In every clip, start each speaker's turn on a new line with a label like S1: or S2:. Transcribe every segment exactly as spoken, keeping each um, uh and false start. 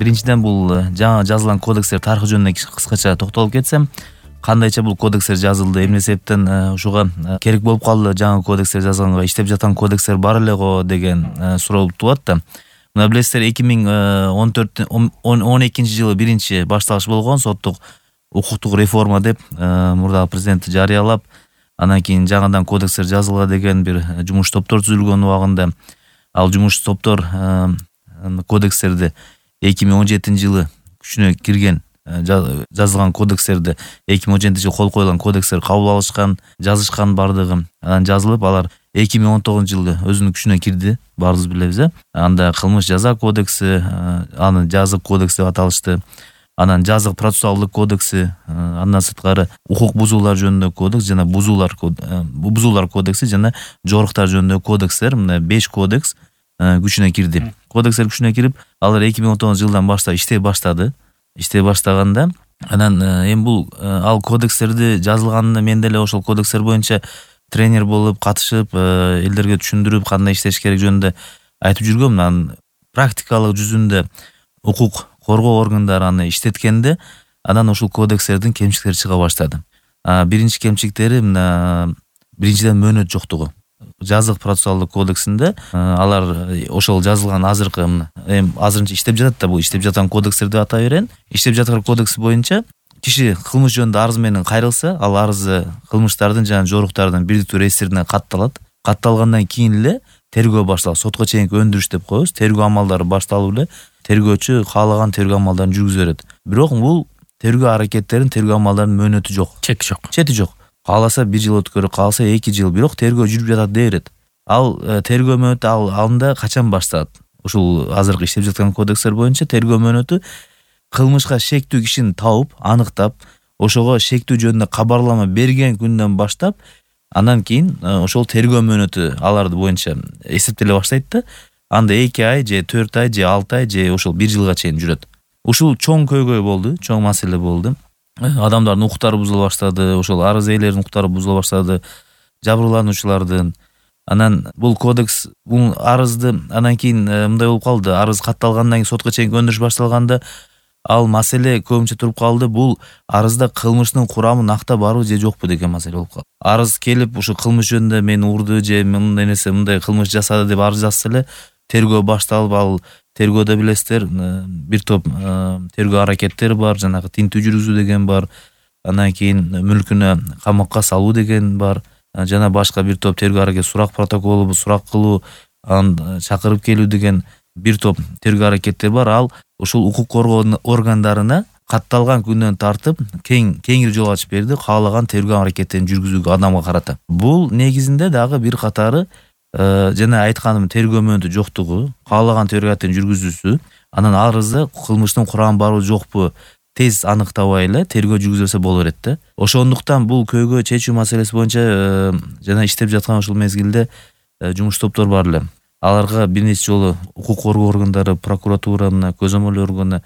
S1: биринчиден бул жаңы жазылган кодекстер тарыхы жөнүндө кыскача токтолуп кетсем, кандайча бул кодекстер жазылды, эмне себептен ушуга керек болуп калды жаңы кодекстер жазганга, иштеп жаткан кодекстер бар эле го деген суроо тууат да. Мына билесиздер, эки миң он төрт он экинчи жылы биринчи башталыш болгон соттук укуктук реформа деп мурдагы президент жарыялап, анан кийин жаңыдан кодекстер жазылга деген бир жумуш топтор түзүлгөн убагында ал жумуш топтор кодекстерди эки миң он жетинчи жылы күчүнө кирген жазылган кодекстерди эки миң он жетинчи жылы кол коюлган кодекстер кабыл алышкан, жазышкан бардыгы. Анан жазылып, алар эки миң он тогузунчу жылы өзүнүн күчүнө кирди, баарыбыз билебиз э. Анда кылмыш жаза кодекси, аны жазык кодекс деп аталышты. Анан жазык процессуалдык кодекси, андан сырткары укук бузуулар жөнүндө кодекс жана бузуулар бузуулар кодекси жана жоруктар жөнүндө кодекстер, мына беш кодекс күчүнө кирди. Кодекстер күчүнө кирип, алар эки миң он тогузунчу жылдан баштап иштей баштады. Иштей баштаганда, анан эми бул ал кодекстерди жазылганында мен деле ошол кодекстер боюнча тренер болуп катышып, элдерге түшүндүрүп, кандай иштеш керек жөнүндө айтып жүргөм. Анан практикалык жүзүндө укук коргоо органдары аны иштеткенде, анан ушул кодекстердин кемчиликтери чыга баштады. Биринчи кемчиликтери мына биринчиден мөөнөт жоктугу. Жазык процессуалдык кодексинде алар ошол жазылган азыркы эми азырынча иштеп жатат да, бул иштеп жаткан кодекстер деп атай берейин. Иштеп жаткан кодекс боюнча киши кылмыш жөнүндө арыз менен кайрылса, ал арызы кылмыштардын жана жоруктардын бирдиктүү реестрине катталат. Катталгандан кийин эле тергөө башталат. Сотко чейинки өндүрүш деп коебуз. Тергөө амалдары башталып эле тергөөчү каалаган тергөө амалдарын жүргүзө берет. Бирок бул тергөө аракеттерин, тергөө амалдарынын мөөнөтү жок.
S2: Чети жок.
S1: Чети жок. Кааласа бир жыл өткөрө, кааласа эки жыл, бирок тергөө жүрүп жатат дей берет. Ал тергөө мөөнөтү ал анда качан башталат? Ушул азыркы иштеп жаткан кодекстер боюнча тергөө мөөнөтү кылмышка шектүү кишини тауып, аныктап, ошого шектүү жөнүндө кабарлама берген күндөн баштап, андан кийин ошол тергөө мөөнөтү аларды боюнча эсептеле баштайт да. Анда эки ай же төрт ай же алты ай же ошол бир жылга чейин жүрөт. Ушул чоң көйгөй болду, чоң маселе болду. Адамдардын укуктары бузула баштады, ошол арыз ээлеринин укуктары бузула баштады, жабырлануучулардын. Анан бул кодекс, бул арызды анан кийин мындай болуп калды, арыз катталгандан кийин сотко чейинки өндүрүш башталганда ал маселе көбүнчө туруп калды. Бул арызда кылмыштын курамы накта барбы же жокпу деген маселе болуп калды. Арыз келип, ушу кылмыш жөнүндө мени урду же мындай нерсе, мындай кылмыш жасады деп арыз жазса эле тергөө башталып, ал тергөөдө билесиздер, бир топ тергөө аракеттери бар, жанагы тинтүү жүргүзүү деген бар, андан кийин мүлкүнө камакка салуу деген бар, жана башка бир топ тергөө аракет, сурак протоколу, сурак кылуу, аны чакырып келүү деген бир топ тергөө аракеттер бар. Ал ушул укук коргоо органдарына катталган күндөн тартып кең кеңири жол ачып берди, каалаган тергөө аракеттерин жүргүзүүгө адамга карата. Бул негизинде дагы бир катары жана айтканым тергөө мөөнөтү жоктугу, каалаган тергөө аракетин жүргүзүүсү, анан арызда кылмыштын курамы барбы жокпу тез аныктабай эле тергөө жүргүзөлсө боло берет да. Ошондуктан бул көйгөй чечүү маселеси боюнча жана иштеп жаткан ушул мезгилде жумуш топтор бар эле. Аларга бир нече жолу укук коргоо органдары, прокуратура, мына көзөмөл органы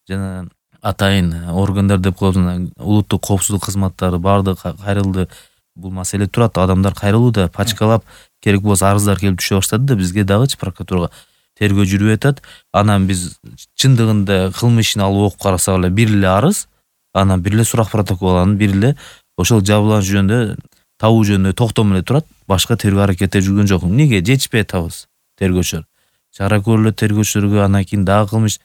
S1: жана атайын органдар деп коебуз, улуттук коопсуздук кызматтары баардыгы кайрылды. Бул маселе турат, адамдар кайрылууда, пачкалап керек болсо арыздар келип түшө баштады да, бизге дагычы прокуратурага тергөө жүрүп атат. Анан биз чындыгында кылмыш ишин алып окуп карасак эле бир эле арыз, анан бир эле сурак протокол, анан бир эле ошол жабырлануу жөнүндө, табуу жөнүндө токтом эле турат. Башка тергөө аракеттер жүргөн жок. Эмнеге жетишпей атабыз тергөөчүлөр? Чара көрүлөт тергөөчүлөргө, анан кийин дагы кылмыш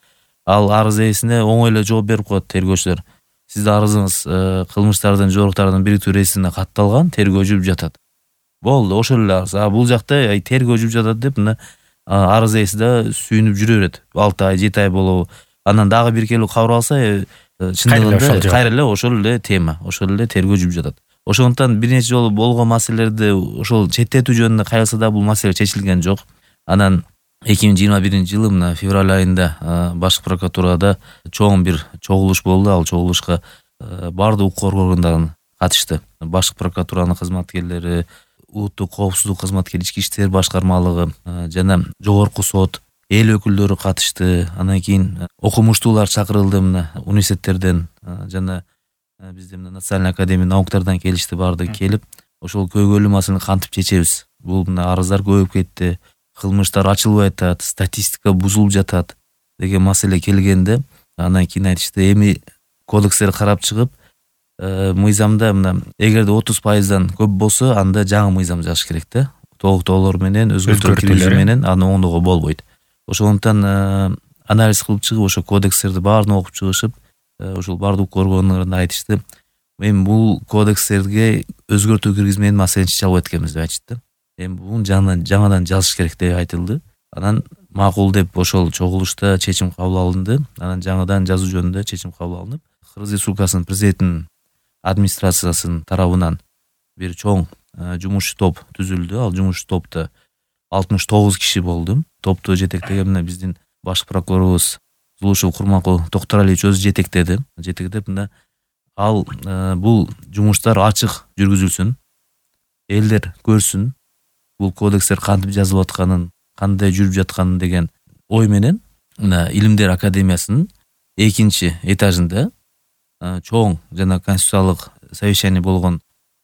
S1: ал арыз ээсине оңой эле жооп берип коет тергөөчүлөр. Сиздин арызыңыз кылмыштардын, жоруктардын бириктүү реестрине катталган, тергөө жүрүп жатат. Болду, ошол эле арыз. А бул жакта тергөө жүрүп жатат деп мына арыз ээси да сүйүнүп жүрө берет. алты ай, жети ай болобу. Анан дагы бир келип кабар алса, чындыгында кайра эле ошол эле тема, ошол эле тергөө жүрүп жатат. Ошондуктан бир нече жолу болгон маселелерди ошол четтетүү жөнүндө кайрылса да бул маселе чечилген жок. Анан эки миң жыйырма биринчи жылы мына февраль айында башкы прокуратурада чоң бир чогулуш болду. Ал чогулушка баардык укук коргоо органдары катышты. Башкы прокуратуранын кызматкерлери, улуттук коопсуздук кызматкери, ички иштер башкармалыгы жана жогорку сот эл өкүлдөрү катышты. Андан кийин окумуштуулар чакырылды, мына университеттерден жана бизде мына Национальный академия науктардан келишти, баардыгы келип, ошол көйгөйлүү маселени кантип чечебиз? Бул мына арыздар көбөйүп кетти, кылмыштар ачылбай атат, статистика бузулуп жатат. деген маселе келгенде анан кийин айтышты эми кодекстерди карап чыгып мыйзамда мына эгерде отуз пайыздан көп болсо анда жаңы мыйзам жазыш керек да. Толуктоолор менен өзгөртүүлөр киргизүү менен аны оңдоого болбойт. Ошондуктан анализ кылып чыгып ошо кодекстерди баарын окуп чыгышып ушул бардык укук органдарында айтышты. Эми бул кодекстерге өзгөртүү киргизмеген маселени чече албайт экенбиз деп айтышты. Эми буну жаңадан жаңадан жазыш керек деп айтылды. Анан макул деп ошол чогулушта чечим кабыл алынды. Анан жаңадан жазуу жөнүндө чечим кабыл алынып, Кыргыз Республикасынын президентинин администрациясынын тарабынан бир чоң жумушчу топ түзүлдү. Ал жумушчу топто алтымыш тогуз киши болду. Топту жетектеген мына биздин баш прокурорубуз Зулушев Курманкул Токторалиевич өзү жетектеди. Жетектеп мына ал бул жумуштар ачык жүргүзүлсүн. Элдер көрсүн бул кодекстер кантип жазылып атканын, кандай жүрүп жатканын деген ой менен мына Илимдер академиясынын экинчи этажында чоң жана конституциялык совещание болгон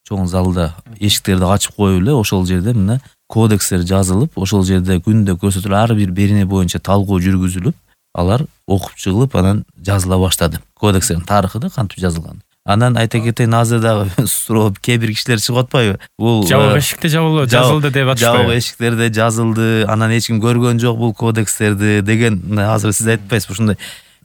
S1: чоң залда эшиктерди ачып коюп эле ошол жерде мына кодекстер жазылып, ошол жерде күндө көрсөтүлүп ар бир берене боюнча талкуу жүргүзүлүп, алар окуп чыгылып анан жазыла баштады. Кодекстердин тарыхы да кантип жазылган. Анан айта кетейин, азыр дагы суроо кээ бир кишилер чыгып атпайбы? Бул
S2: жабык эшикте жабылды, жазылды деп атышпайбы?
S1: Жабык эшиктерде жазылды, анан эч ким көргөн жок бул кодекстерди деген азыр сиз айтпайсызбы ушундай.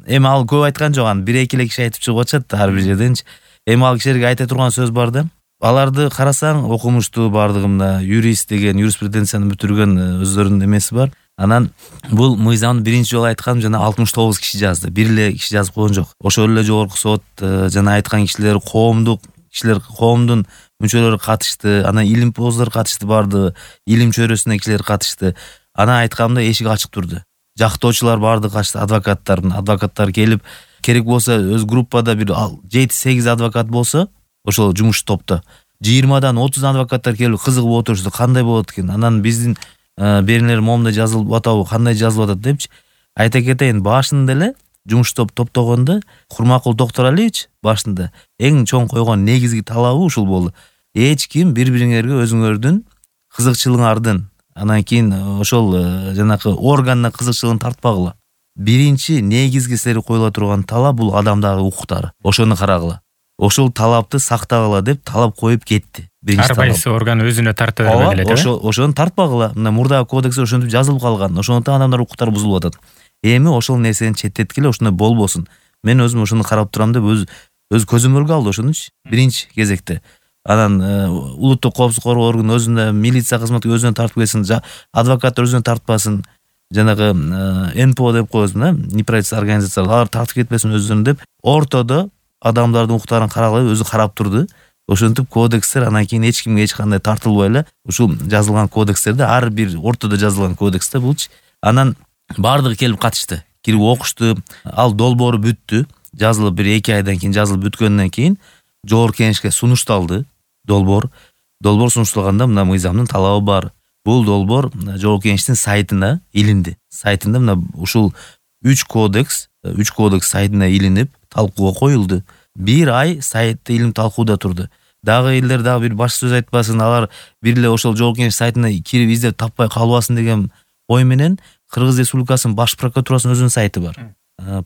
S1: Эми ал көп айткан жок, анан бир эки эле киши айтып чыгып атышат ар бир жерденчи. Эми ал кишилерге айта турган сөз бар да. Аларды карасаң окумуштуу, бардыгы мына юрист деген, юриспруденцияны бүтүргөн өздөрүнүн эмеси бар. Анан бул мыйзамды биринчи жолу айткан жана алтымыш тогуз киши жазды. Бир эле киши жазып койгон жок. Ошол эле жогорку сот жана айткан кишилер коомдук кишилер, коомдун мүчөлөрү катышты. Анан илимпоздор катышты, барды илим чөйрөсүнөн кишилер катышты. Анан айтканда эшик ачык турду. Жактоочулар бардыгы катышты, адвокаттар, адвокаттар келип, керек болсо өз группада бир жети сегиз адвокат болсо, ошол жумуш топто жыйырмадан отуз адвокаттар келип кызыгып отурушты. Кандай болот экен? Анан биздин беренелер момундай жазылып атабы, кандай жазылып атат депчи. Айта кетейин, башында эле жумуш топ топтогондо Курманкул Токторалиевич башында эң чоң койгон негизги талабы ушул болду. Эч ким бири-бириңерге өзүңөрдүн кызыкчылыгыңардын, анан кийин ошол жанакы органына кызыкчылыгын тартпагыла. Биринчи негизги силерге коюла турган талап бул адамдагы укуктары. Ошону карагыла. Ошол талапты сактагыла деп талап коюп кетти.
S2: Ар кайсы орган өзүнө тарта бербей эле,
S1: ошо ошону тартпагыла. Мына мурдагы кодексте ошентип жазылып калган. Ошондуктан адамдар укуктары бузулуп атат. Эми ошол нерсени четтеткиле, ошондой болбосун. Мен өзүм ошону карап турам деп өз өз көзөмөлгө алды ошонучу биринчи кезекте. Анан улуттук коопсуздук коргоо органы өзүнө, милиция кызматы өзүнө тартып кетсин, адвокаттар өзүнө тартпасын, жанагы эн пэ о деп коебузбу, неправительственный организациялар, алар тартып кетпесин өзүнө деп ортодо адамдардын укуктарын карагыла өзү карап турду. Ошентип кодекстер анан кийин эч кимге эч кандай тартылбай эле ушул жазылган кодекстерде, ар бир ортодо жазылган кодексте булчу. Анан бардыгы келип катышты, кирип окушту. Ал долбоору бүттү. Жазылып бир эки айдан кийин, жазылып бүткөндөн кийин жогорку кеңешке сунушталды долбоор. Долбоор сунушталганда мына мыйзамдын талабы бар. Бул долбоор жогорку кеңештин сайтына илинди. Сайтында мына ушул үч кодекс, үч кодекс сайтына илинип талкууга коюлду. Бир ай сайтта илим талкууда турду. Дагы элдер дагы бир баш сөз айтпасын, алар бир эле ошол жогорку кеңеш сайтына кирип издеп таппай калбасын деген ой менен Кыргыз Республикасынын баш прокуратурасынын өзүнүн сайты бар.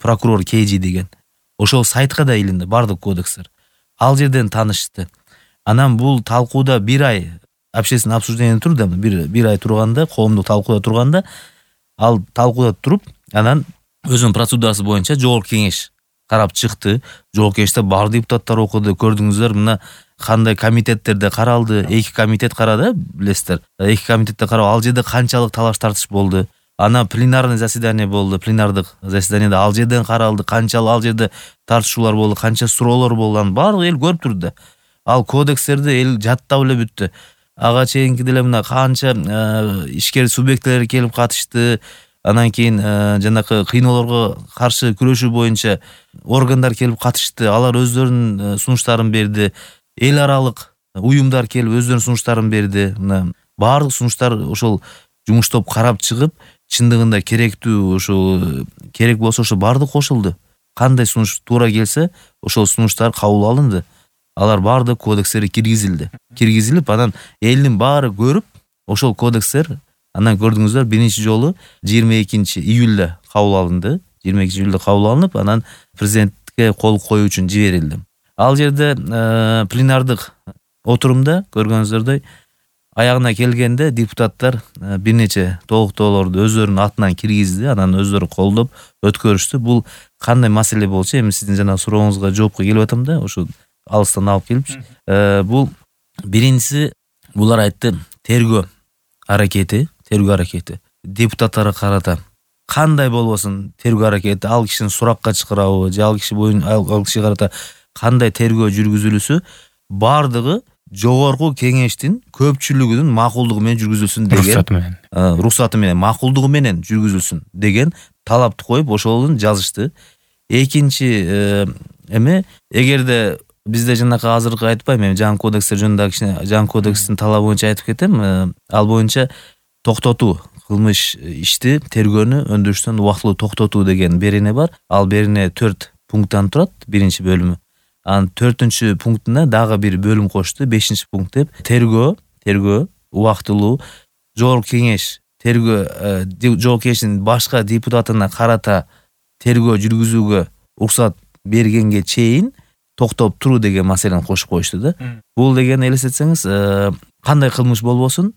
S1: Прокурор КЖ деген. Ошол сайтка да илинди бардык кодекстер. Ал жерден таанышты. Анан бул талкууда бир ай общественный обсуждение турду, бир бир ай турганда, коомдук талкууда турганда, ал талкууда туруп, анан өзүнүн процедурасы боюнча жогорку кеңеш карап чыкты. Жогорку кеңеште бар депутаттар окуду. Көрдүңүздөр, мына кандай комитеттерде каралды. Эки комитет карады, билесиздер. Эки комитетте карап, ал жерде канчалык талаш тартыш болду. Ана пленарный заседание болду. Пленардык заседаниеде ал жерден каралды. Канчалык ал жерде тартышуулар болду, канча суроолор болду. Анын баардыгы эл көрүп турду. Ал кодекстерди эл жаттап эле бүттү. Ага чейинки деле мына канча ишкер субъекттер келип катышты. Анан кийин жанакы кыйноолорго каршы күрөшүү боюнча органдар келип катышты. Алар өздөрүнүн сунуштарын берди. Эл аралык уюмдар келип өздөрүнүн сунуштарын берди. Мына баардык сунуштар ошол жумуш топ карап чыгып, чындыгында керектүү, ошо керек болсо ошо баардык кошулду. Кандай сунуш туура келсе, ошол сунуштар кабыл алынды. Алар баардык кодекстер киргизилди. Киргизилип, анан элдин баары көрүп, ошол кодекстер анан көрдүңүздөр биринчи жолу жыйырма экинчи июлда кабыл алынды. жыйырма экинчи июлда кабыл алынып, анан президентке кол коюу үчүн жиберилди. Ал жерде пленардык отурумда көргөнүңүздөрдөй аягына келгенде депутаттар бир нече толуктоолорду өздөрүнүн атынан киргизди, анан өздөрү колдоп өткөрүштү. Бул кандай маселе болчу? Эми сиздин жана сурооңузга жоопко келип атам да, ошо алыстан алып келипчи. Бул биринчиси, булар айтты, тергөө аракети, тергөө аракети депутаттарга карата кандай болбосун тергөө аракети, ал кишини суракка чакырабы, же ал киши боюн ал кишиге карата кандай тергөө жүргүзүлүсү бардыгы жогорку кеңештин көпчүлүгүнүн макулдугу менен жүргүзүлсүн деген,
S2: уруксаты менен
S1: уруксаты менен макулдугу менен жүргүзүлсүн деген талапты коюп ошолун жазышты. Экинчи эме, эгерде бизде жанакы азыркы айтпайм, эми жаңы кодекстер жөнүндө кичине жаңы кодекстин талабы боюнча айтып кетем. Ал боюнча токтотуу, кылмыш ишти тергөөнү өндүрүштөн убактылуу токтотуу деген берене бар. Ал берене төрт пункттан турат, биринчи бөлүмү. Анын төртүнчү пунктуна дагы бир бөлүм кошту, бешинчи пункт деп. Тергөө, тергөө убактылуу, жогорку кеңеш тергөө, жогорку кеңештин башка депутатына карата тергөө жүргүзүүгө уруксат бергенге чейин токтоп туруу деген маселени кошуп коюшту да. Бул деген элестетсеңиз, кандай кылмыш болбосун,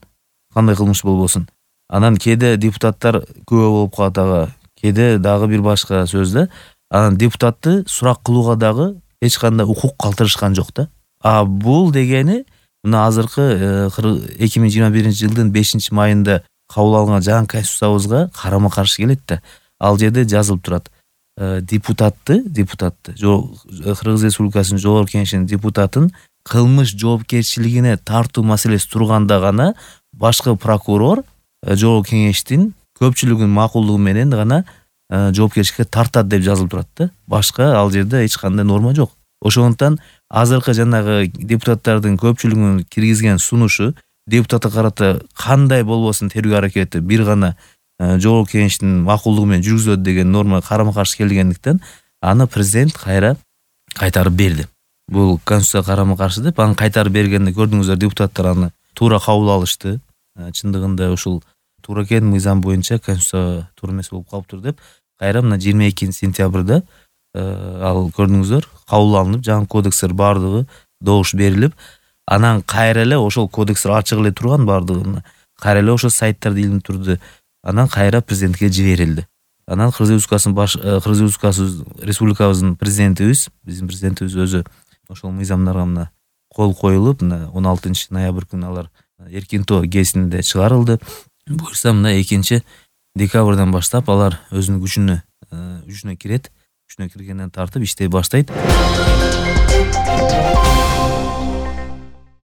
S1: кандай кылмыш болбосун. Анан кээде депутаттар күбө болуп калат ага, кээде дагы бир башка сөз да. Анан депутатты сурак кылууга дагы эч кандай укук калтырышкан жок да. А бул дегени мына азыркы эки миң жыйырма биринчи жылдын бешинчи майында кабыл алынган жаңы конституциябызга карама каршы келет да. Ал жерде жазылып турат. Депутатты, депутатты, Кыргыз Республикасынын жогорку кеңешинин депутатын кылмыш жоопкерчилигине тартуу маселеси турганда гана башкы прокурор жогорку кеңештин көпчүлүгүнүн макулдугу менен гана жоопкерчиликке тартат деп жазылып турат да. Башка ал жерде эч кандай норма жок. Ошондуктан азыркы жанагы депутаттардын көпчүлүгүнүн киргизген сунушу депутатка карата кандай болбосун тергөө аракети бир гана жогорку кеңештин макулдугу менен жүргүзүлөт деген норма карама каршы келгендиктен аны президент кайра кайтарып берди. Бул конституцияга карама каршы деп, аны кайтарып бергенде көрдүңүздөр, депутаттар аны туура кабыл алышты. Чындыгында ушул туура экен, мыйзам боюнча конституция туура эмес болуп калыптыр деп, кайра мына жыйырма экинчи сентябрда ал көрдүңүздөр кабыл алынып, жаңы кодекстер бардыгы добуш берилип, анан кайра эле ошол кодекстер ачык эле турган бардыгы, кайра эле ошо сайттарда илинип турду. Анан кайра президентке жиберилди. Анан Кыргыз Республикасынын баш Кыргыз Республикасы республикабыздын президентибиз, биздин президентибиз өзү ошол мыйзамдарга мына кол коюлуп, мына он алтынчы ноябрь күнү алар эркинтоо гезитинде чыгарылды. Буюрса мына экинчи декабрдан баштап алар өзүнүн күчүнө күчүнө кирет. Күчүнө киргенден тартып иштей баштайт.